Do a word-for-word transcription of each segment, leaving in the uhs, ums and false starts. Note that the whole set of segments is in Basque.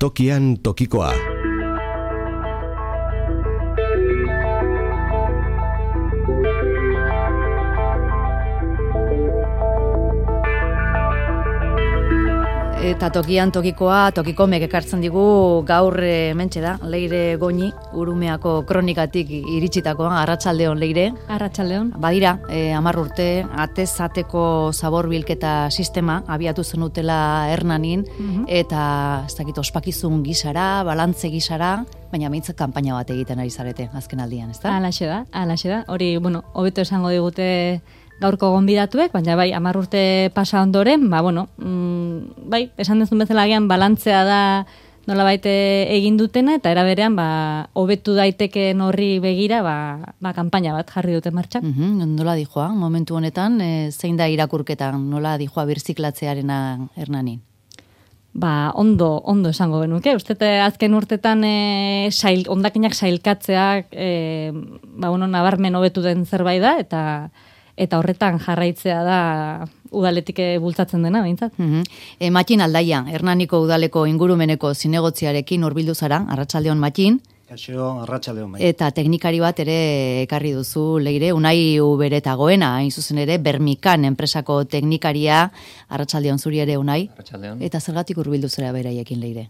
Tokian tokikoa. Eta tokian tokikoa, tokikomek ekartzen digu gaur hementxe da, Leire Goñi, Urumeako kronikatik iritsitakoa, arratsaldeon Leire. Arratsaldeon. Badira, eh, hamar urte, atezateko zabor bilketa sistema abiatu zenutela Hernanin, mm-hmm. eta ez dakit ospakizun gisara, balantze gisara, baina meintzat kanpaina bat egiten ari zarete azken aldian, ezta? Halaxe da, halaxe da. Hori, bueno, hobeto esango digute gaurko gonbidatuek, baina bai, hamar urte pasa ondoren, ba, bueno, mm, bai, esan dezun bezala agian balantzea da nolabait egin dutena, eta era berean, ba, hobetu daiteken horri begira, ba, ba, kanpaina bat jarri dute martxan. Mm-hmm, nola dijoa, momentu honetan, e, zein da irakurketan, nola dijoa birziklatzearena Hernanin? Ba, ondo, ondo esango genuke. Uste azken urtetan e, sail, ondakinak sailkatzeak, e, ba, bueno, nabarmen hobetu den zerbait da, eta eta horretan jarraitzea da udaletik bultzatzen dena, behintzat. Mm-hmm. E, Matxin Aldaia, Hernaniko udaleko ingurumeneko zinegotziarekin hurbildu zara, arratsaldeon Matxin. Kaixo, arratsaldeon bai. Eta teknikari bat ere ekarri duzu, Leire, Unai Uberetagoena, hain zuzen ere, Bermikan enpresako teknikaria, arratsaldeon zuri ere Unai. Arratsaldeon. Eta zergatik hurbildu zara beraiekin, Leire?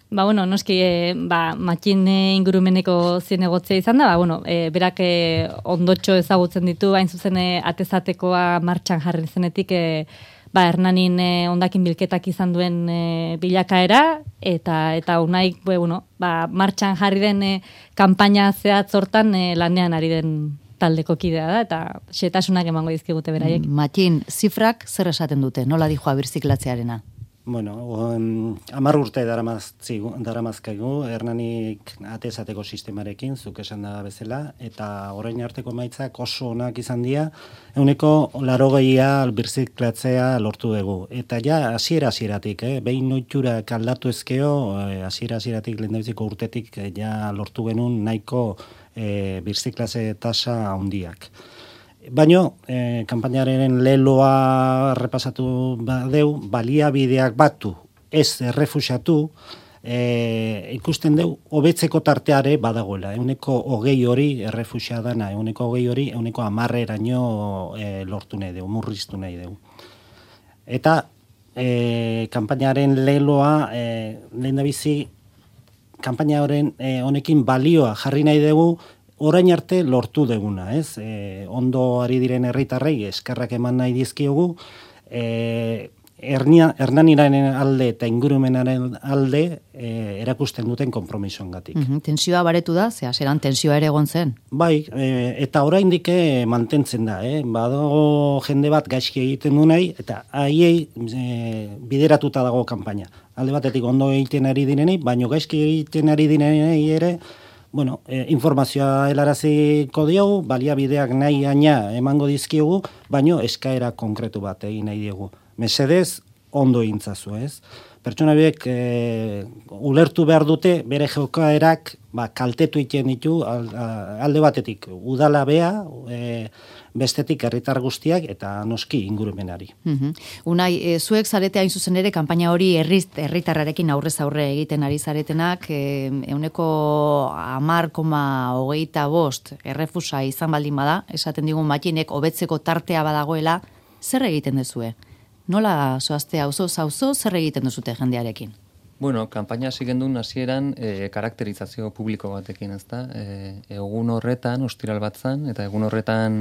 Ba, bueno, noski, e, ba, Matxin ingurumeneko zinegotzea izan da, ba, bueno, e, berak e, ondotxo ezagutzen ditu, hain zuzen e, atezatekoa martxan jarri zenetik, e, ba, Hernanin e, ondakin bilketak izan duen e, bilakaera, eta eta Unaik, be, bueno, ba, martxan jarri den e, kanpaina zehatz hortan e, lanean ari den taldeko kidea da, eta xetasunak emango dizkigute beraiek. Matxin, zifrak zer esaten dute, nola dijoa birziklatzearena? Bueno, um, hamar urte daramazkaigu, Hernanik atezateko sistemarekin, zuk esan da bezala, eta orain arteko emaitzak oso onak izan dira, ehuneko larogeia birziklatzea lortu dugu. Eta ja, hasiera hasieratik, eh, behin noiturak aldatu ezkeo, hasiera hasieratik lehendabiziko urtetik, eh, ja lortu genuen nahiko eh, birziklatze tasa handiak. Baina, eh, kanpainaren leloa repasatu badeu, baliabideak batu, ez errefuxatu, eh, ikusten deu, hobetzeko tarteare badagoela. Euneko hogei hori errefuxia dana, euneko hogei hori, euneko amarreraino eh, lortu nahi deu, murriztu nahi deu. Eta, eh, kanpainaren leloa, eh, lehen da bizi, kanpainaren eh, honekin balioa jarri nahi dugu, orain arte lortu deguna, ez? E, ondo ari diren herritarrei eskerrak eman nahi dizkiogu, e, Hernaniraren alde eta ingurumenaren alde e, erakusten duten konpromisoengatik. Mm-hmm. Tensioa baretu da, ze hasieran tensioa ere egon zen? Bai, e, eta oraindik mantentzen da, eh? Badago jende bat gaizki egiten du nahi, eta haiei e, bideratuta dago kanpaina. Alde batetik ondo egiten ari direnei, baino gaizki egiten ari direnei ere, bueno, eh, informazioa helaraziko diogu, baliabideak nahi aina emango dizkiogu, baino eskaera konkretu bat egin nahi diegu. Mesedez, ondo egintzazu, ez? Pertsona biek eh, ulertu behar dute, bere jokaerak ba, kaltetu iten ditu alde batetik udala bea, eh, bestetik herritar guztiak eta noski ingurumenari. Mm-hmm. Unai, e, zuek zarete hain zuzen ere kanpaina hori herritarrarekin aurrez aurre egiten ari zaretenak, e, euneko hamar koma hogeita bost errefusa izan baldin bada, esaten digun Matxinek hobetzeko tartea badagoela, zer egiten duzue? Nola zoazte auzo zauzo, zer egiten duzute jendearekin? Bueno, kanpaina hasi gendun hasieran e, karakterizazio publiko batekin, ezta? E, egun horretan, ostiral bat zan, eta egun horretan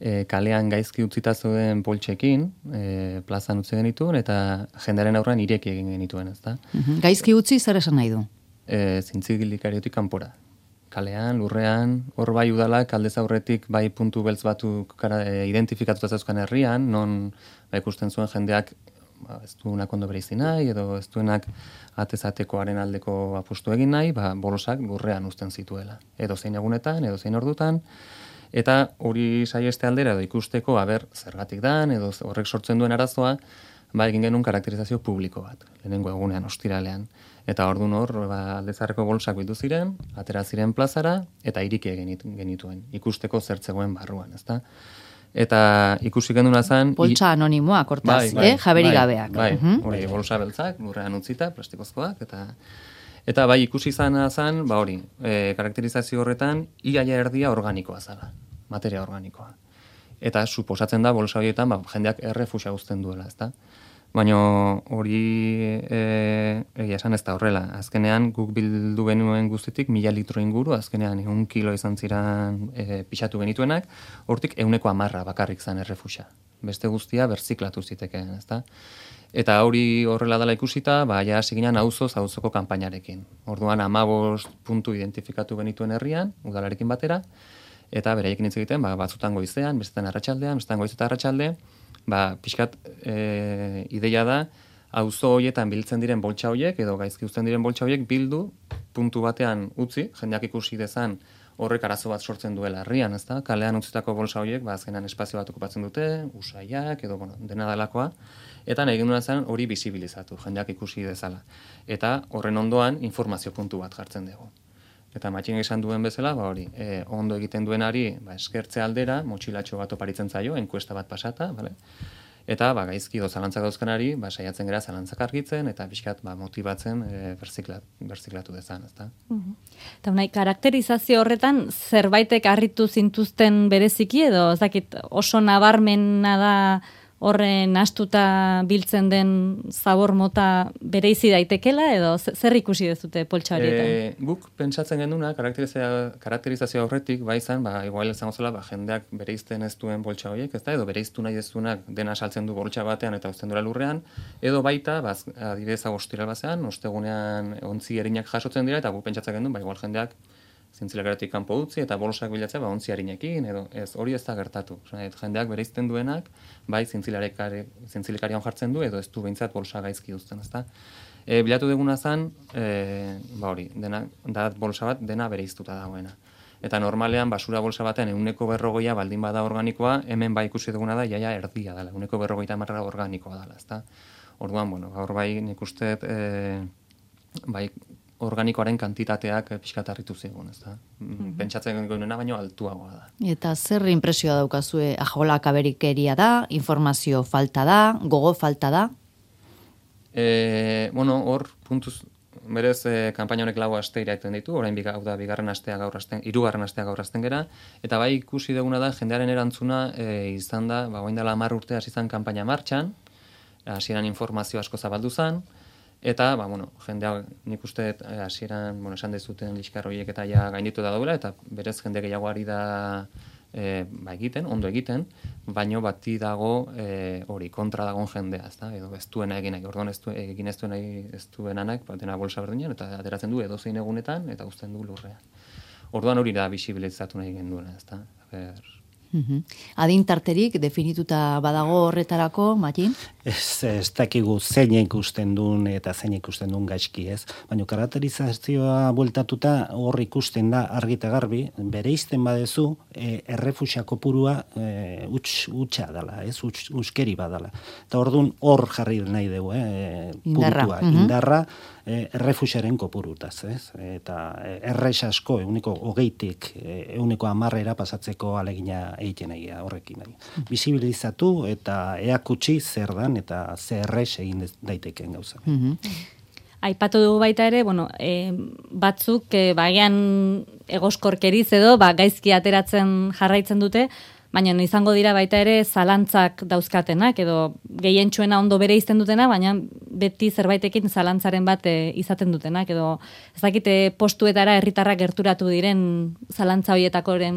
e, kalean gaizki utzita zuen poltsekin, e, plazan utzi genituen, eta jendearen aurrean ireki egin genituen, ezta? Mm-hmm. Gaizki utzi zer esan nahi du? E, Zintzigikariotik kanpora. Kalean, lurrean, hor bai udalak aldez aurretik bai puntu beltz batuk e, identifikatuta zeuzkan herrian, non ba, ikusten zuen jendeak ba, ez duenak ondo bereizi nahi, edo ez duenak atezatekoaren aldeko apustu egin nahi, ba, bolosak lurrean uzten zituela. Edo zein egunetan, edo zein ordutan, eta hori saieste aldera edo ikusteko, aber, zergatik dan, edo horrek sortzen duen arazoa, ba, egin genuen karakterizazio publiko bat, lehenengo egunean, ostiralean. Eta ordun hor, ba, aldezarreko bolsak bildu ziren, atera ziren plazara, eta iriki egin genituen, ikusteko zertzegoen barruan, ezta? Eta ikusi genduna zen... Poltsa anonimoak, hortaz, bai, bai, eh? Jaberi bai, gabeak. Bai, hori, bolsa beltzak, lurrean utzita, plastikozkoak, eta... Eta bai, ikusi zana zen, ba hori, e, karakterizazio horretan, iaia erdia organikoa zala, materia organikoa. Eta suposatzen da, bolsa horietan, ba, jendeak errefusa uzten duela, ezta? Baina hori e, egia esan ez da horrela. Azkenean, guk bildu genuen guztitik, mila litro inguru, azkenean egun kilo izan ziren e, pixatu genituenak, hortik euneko amarra bakarrik zen errefusa. Beste guztia berziklatu zitekeen, ezta? Eta hori horrela dela ikusita, ba, ja hasi ginen auzoz auzoko kanpainarekin. Orduan hamabost puntu identifikatu genituen herrian, udalarekin batera, eta beraiekin hitz egiten, ba, batzutan goizean, bestetan arratsaldean, bestetan goiz eta arratsalde, ba, pixkat e, ideia da, auzo horietan biltzen diren boltsa horiek, edo gaizki uzten diren boltsa horiek bildu, puntu batean utzi, jendeak ikusi dezan horrek arazo bat sortzen duela herrian, ezta? Kalean utzitako bolsa horiek, ba, azkenan espazio bat okupatzen dute, usaiak, edo, bueno, dena delakoa, eta nahi genduna zen hori bisibilizatu, jendeak ikusi dezala. Eta horren ondoan informazio puntu bat jartzen dugu. Eta matxin esan duen bezala, ba hori, e, ondo egiten duenari, ba, eskertze aldera, motxilatxo bat oparitzen zaio, enkuesta bat pasata, bale? Eta ba, gaizki edo zalantzak dauzkanari, ba, saiatzen gara zalantzak argitzen, eta pixkat ba, motibatzen e, berziklat, berziklatu dezan, ezta? Uh-huh. Eta unai, karakterizazio horretan zerbaitek harritu zintuzten bereziki, edo ez dakit oso nabarmena da horren astuta biltzen den zabor mota bereizi daitekela, edo zer ikusi dezute poltsa horietan? E, guk pentsatzen genduna, karakterizazio, karakterizazio horretik, ba izan, ba, igual izango zela, ba, jendeak bereizten ez duen poltsa horiek, ezta, edo bereiztu nahi ez duenak dena saltzen du boltsa batean eta uzten duela lurrean, edo baita, ba, adibidez ostiral bazean, ostegunean ontzi erinak jasotzen dira, eta guk pentsatzen gendun, ba, igual jendeak zintzilikaratik kanpo utzi eta bolosak bilatzea ba ontzi harinekin edo ez hori ez da gertatu. Osea, jendeak bereizten duenak bai zintzilikarian jartzen du edo ez du behintzat bolosa gaizki uzten, ezta? E, bilatu duguna zen, e, ba hori, dena da bolsa bat dena bereiztuta dagoena. Eta normalean basura bolsa batean ehuneko berrogeia baldin bada organikoa, hemen bai ikusi duguna da jaia erdia dela, ehuneko berrogeita hamar organikoa dela, ezta? Orduan, bueno, gaur bai nik uste e, bai organikoaren kantitateak pixkat harritu zigun, ezta? Mm-hmm. Pentsatzen genuena baino altuagoa da. Eta zer inpresioa daukazue? Ajolak aberikeria da, informazio falta da, gogo falta da? E, bueno, hor, puntuz, berez, e, kanpaina honek lau aste iraiten ditu, orain hau da bigarren astea gaur asten, hirugarren astea gaur asten gera, eta bai ikusi duguna da, jendearen erantzuna e, izan da, ba, orain dela hamar urte hasi izan kanpaina martxan, hasieran informazio asko zabaldu zen, eta, ba, bueno, jendea nik uste hasieran, bueno, esan dezuten liskar horiek eta ja gainditu da daudela, eta berez jende gehiagoari da e, ba, egiten, ondo egiten, baino bati dago hori e, kontra dagoen jendea, ezta? Edo ez duena egin nahi, orduan ez du, egin ez duena ez duenanak, ba, dena bolsa berdinean, eta ateratzen du edozein egunetan, eta uzten du lurrean. Orduan hori da bisibilizatu nahi genduena, ezta? Ber... Uhum. Adintarterik definituta badago horretarako, Matin? Ez, ez dakigu zein ikusten duen eta zein ikusten duen gaizki, ez? Baina karakterizazioa bueltatuta hor ikusten da argita garbi, bereizten badezu, e, errefusia kopurua e, uts, utxa dela, ez? Uts, uskeri badala. Eta orduan hor jarri nahi dugu, eh? Indarra. Puntua, uhum. Indarra, E, errefusiaren kopurutaz, ez? Eta errex asko, euneko hogeitik, euneko amarrera pasatzeko alegina egiten egia horrekin. Bisibilizatu eta eakutsi zer dan eta zer errex egin daiteken gauza. Mm-hmm. Aipatu dugu baita ere, bueno, e, batzuk e, baian egoskorkeriz edo, ba, gaizki ateratzen jarraitzen dute, baina izango dira baita ere zalantzak dauzkatenak, edo gehientsuena ondo bere izten dutena, baina beti zerbaitekin zalantzaren bat e, izaten dutenak, edo ez dakite postuetara herritarrak gerturatu diren zalantza horietakoren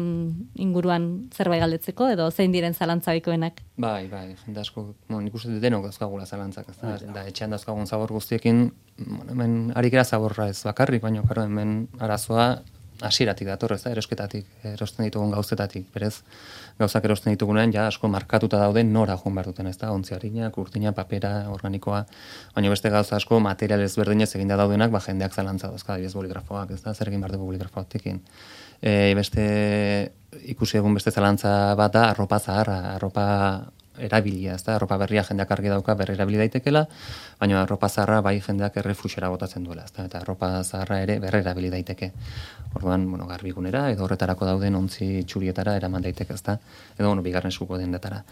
inguruan zerbait galdetzeko, edo zein diren zalantza bikoenak? Bai, bai, jende asko, no, nik uste denok dauzkagula zalantzak, ez da, da etxean dauzkagun zabor guztiekin, bueno, hemen harikera zaborra ez bakarrik, baina karo, hemen arazoa hasieratik dator, ez da, erosketatik, erosten ditugun gauzetatik, berez, gauzak erosten ditugunean, ja, asko markatuta daude nora joan behar duten, ez da, ontziarinak, urtina, papera, organikoa, baina beste gauza asko material ezberdinez eginda daudenak, ba, jendeak zalantza dauzka, adibidez boligrafoak, ez da, zer egin behar dugu boligrafoatekin. E, beste, ikusi egun beste zalantza bat da, arropa zaharra, arropa erabilia, ez da, arropa berria jendeak argi dauka berri erabili daitekela, baina arropa zaharra bai jendeak errefuxera botatzen duela, ez da, eta arropa zaharra ere berri erabili daiteke. Orduan, bueno, garbigunera, edo horretarako dauden ontzi txurietara eraman daiteke, ez da, edo, bueno, bigarren eskuko dendetara.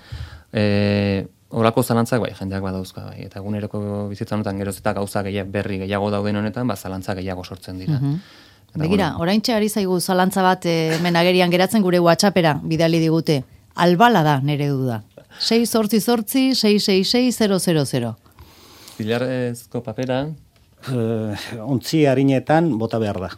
E, Horako zalantzak bai, jendeak badauzka bai, eta eguneroko bizitzan honetan geroz eta gauza gehiago, berri gehiago dauden honetan, ba, zalantza gehiago sortzen dira. Mm-hmm. Begira, bueno, oraintxe ari zaigu zalantza bat hemen agerian geratzen gure WhatsAppera bidali digute. Albala da nere duda. sei zortzi zortzi sei sei sei zero zero zero. Zilarrezko papera? Uh, ontzi harinetan bota behar da.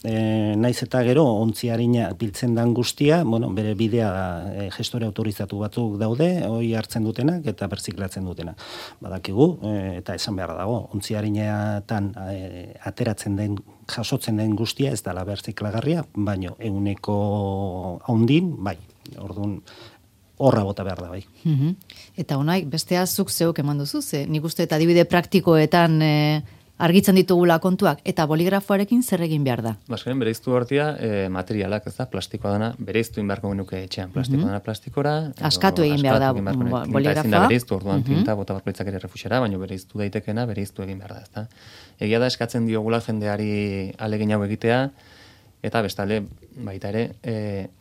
E, naiz eta gero ontzi harina biltzen dan guztia, bueno, bere bidea e, gestore autorizatu batzuk daude, hoi hartzen dutenak eta berziklatzen dutenak. Badakigu, e, eta esan behar dago, ontzi harinetan e, ateratzen den, jasotzen den guztia ez dela berziklagarria, baino eguneko haundin, bai, orduan, horra bota behar da, bai. Mm-hmm. Eta honaik, bestea zuk zeuk eman duzu, ze nik uste eta adibide praktikoetan e, argitzen ditugula kontuak, eta boligrafoarekin zer egin behar da? Baskaren, bereiztu hortia e, materialak, ez da, plastikoa dana, bereiztu inbarko genuke etxean, plastikoa mm-hmm. dana plastikora. Askatu egin behar da boligrafoa. Tinta ezin da bereiztu, orduan mm-hmm. tinta bota barkoitzak ere refuxera, baina bereiztu daitekena, bereiztu egin behar da, ez da. Egia da eskatzen diogula jendeari alegin hau egitea, eta bestale, baita ere, e,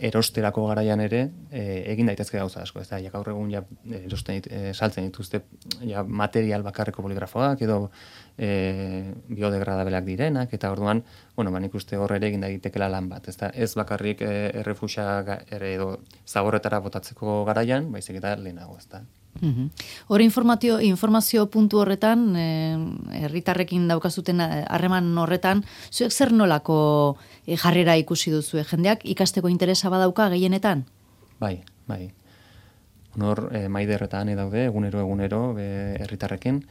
erosterako garaian ere, e, egin daitezke gauza asko, ez da, ja gaur egun ja erosten, e, saltzen dituzte ja, material bakarreko boligrafoak, edo e, biodegradableak direnak, eta orduan, bueno, ba, nik uste hor ere egin daitekela lan bat, ez da, ez bakarrik e, errefuxa ere edo zaborretara botatzeko garaian, baizik eta lehenago, ez da. Mm-hmm. Hor informazio, informazio puntu horretan, herritarrekin eh, daukazuten harreman horretan, zuek zer nolako eh, jarrera ikusi duzu, jendeak ikasteko interesa badauka gehienetan? Bai, bai. Hor, eh, maiderretan daude, egunero egunero herritarrekin,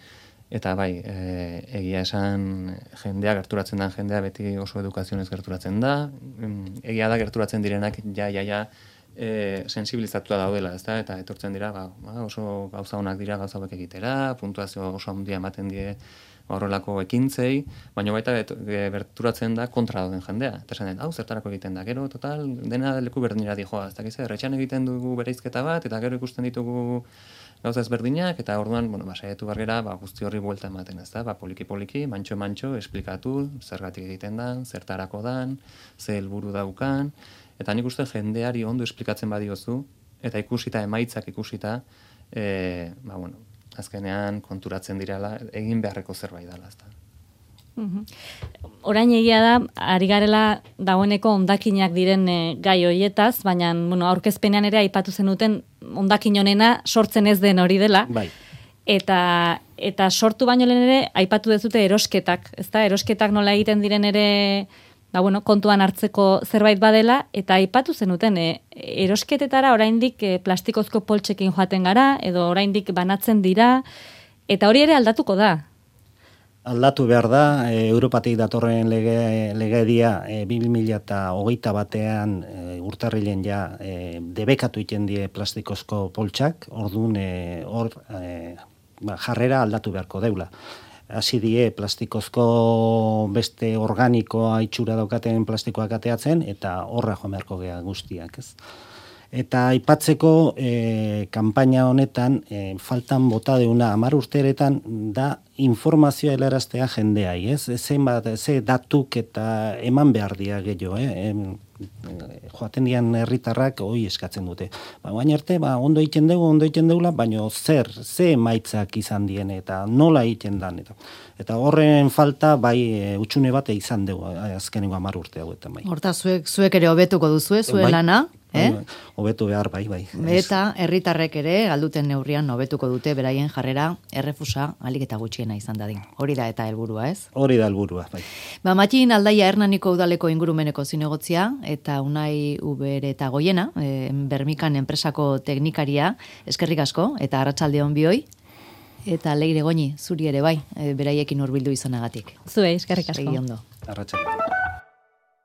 eta bai, eh, egia esan jendea, gerturatzen den jendea beti oso edukazionez gerturatzen da, egia da gerturatzen direnak ja, ja, ja, E, sensibilizatua daudela, ezta, eta etortzen dira, ba, oso gauza honak dira gauza hauek egitera, puntuazio oso handia ematen die horrelako ekintzei, baina baita berturatzen da kontra dauden jendea. Eta esan den, hau zertarako egiten da, gero, total, dena leku berdinera dijoa, ez dakiz, erretxan egiten dugu bereizketa bat, eta gero ikusten ditugu gauza ezberdinak, eta orduan, bueno, ba, saiatu bargera, ba, guzti horri buelta ematen, ez da, ba, poliki-poliki, mantxo-mantxo, esplikatu, zergatik egiten dan, zertarako dan, ze helburu daukan, eta nik uste jendeari ondo esplikatzen badiozu, eta ikusita, emaitzak ikusita, e, ba, bueno, azkenean konturatzen direla, egin beharreko zerbait dela, ezta. Mm-hmm. Orain egia da, ari garela dagoeneko hondakinak diren e, gai hoietaz, baina bueno, aurkezpenean ere aipatu zenuten hondakin honena sortzen ez den hori dela. Bai. Eta, eta sortu baino lehen ere aipatu dezute erosketak, ezta? Erosketak nola egiten diren ere ba, bueno, kontuan hartzeko zerbait badela, eta aipatu zenuten, e, erosketetara oraindik e, plastikozko poltsekin joaten gara, edo oraindik banatzen dira, eta hori ere aldatuko da. Aldatu behar da, e, Europatik datorren lege, legedia e, bi mila hogeita batean e, urtarrilen ja e, debekatu iten die plastikozko poltsak, orduan e, hor e, ba, jarrera aldatu beharko deula. Hasi die plastikozko beste organikoa itxura daukaten plastikoak ateatzen, eta horra joan beharko gea guztiak, ez? Eta aipatzeko e, kanpaina honetan, e, faltan bota deuna hamar urteretan da informazioa helaraztea jendeai, ez? Zenbat, ze datuk eta eman behar dia gehiago, eh? Em, joaten dian herritarrak hoi eskatzen dute. Ba, baina arte, ba, ondo egiten dugu, ondo egiten dugula, baina zer, ze emaitzak izan dien, eta nola egiten dan, eta, eta horren falta, bai, e, utxune bat izan dugu, azkenengo hamar urte hauetan, bai. Horta, zuek, zuek ere hobetuko duzue, zuen bai, lana, eh? Hobetu behar, bai, bai. Eta herritarrek ere, galduten neurrian, hobetuko dute, beraien jarrera, errefusa, alik eta gutxiena izan dadin. Hori da eta helburua, ez? Hori da helburua, bai. Ba, Matxin Aldaia Hernaniko udaleko ingurumeneko zinegotzia, eta Unai Ubere eta Goiena, e, Bermikan enpresako teknikaria, eskerrik asko, eta arratsalde on bioi, eta Leire Goñi, zuri ere bai, e, beraiekin hurbildu izanagatik. Zuei, eskerrik asko. Segi ondo. Arratsalde.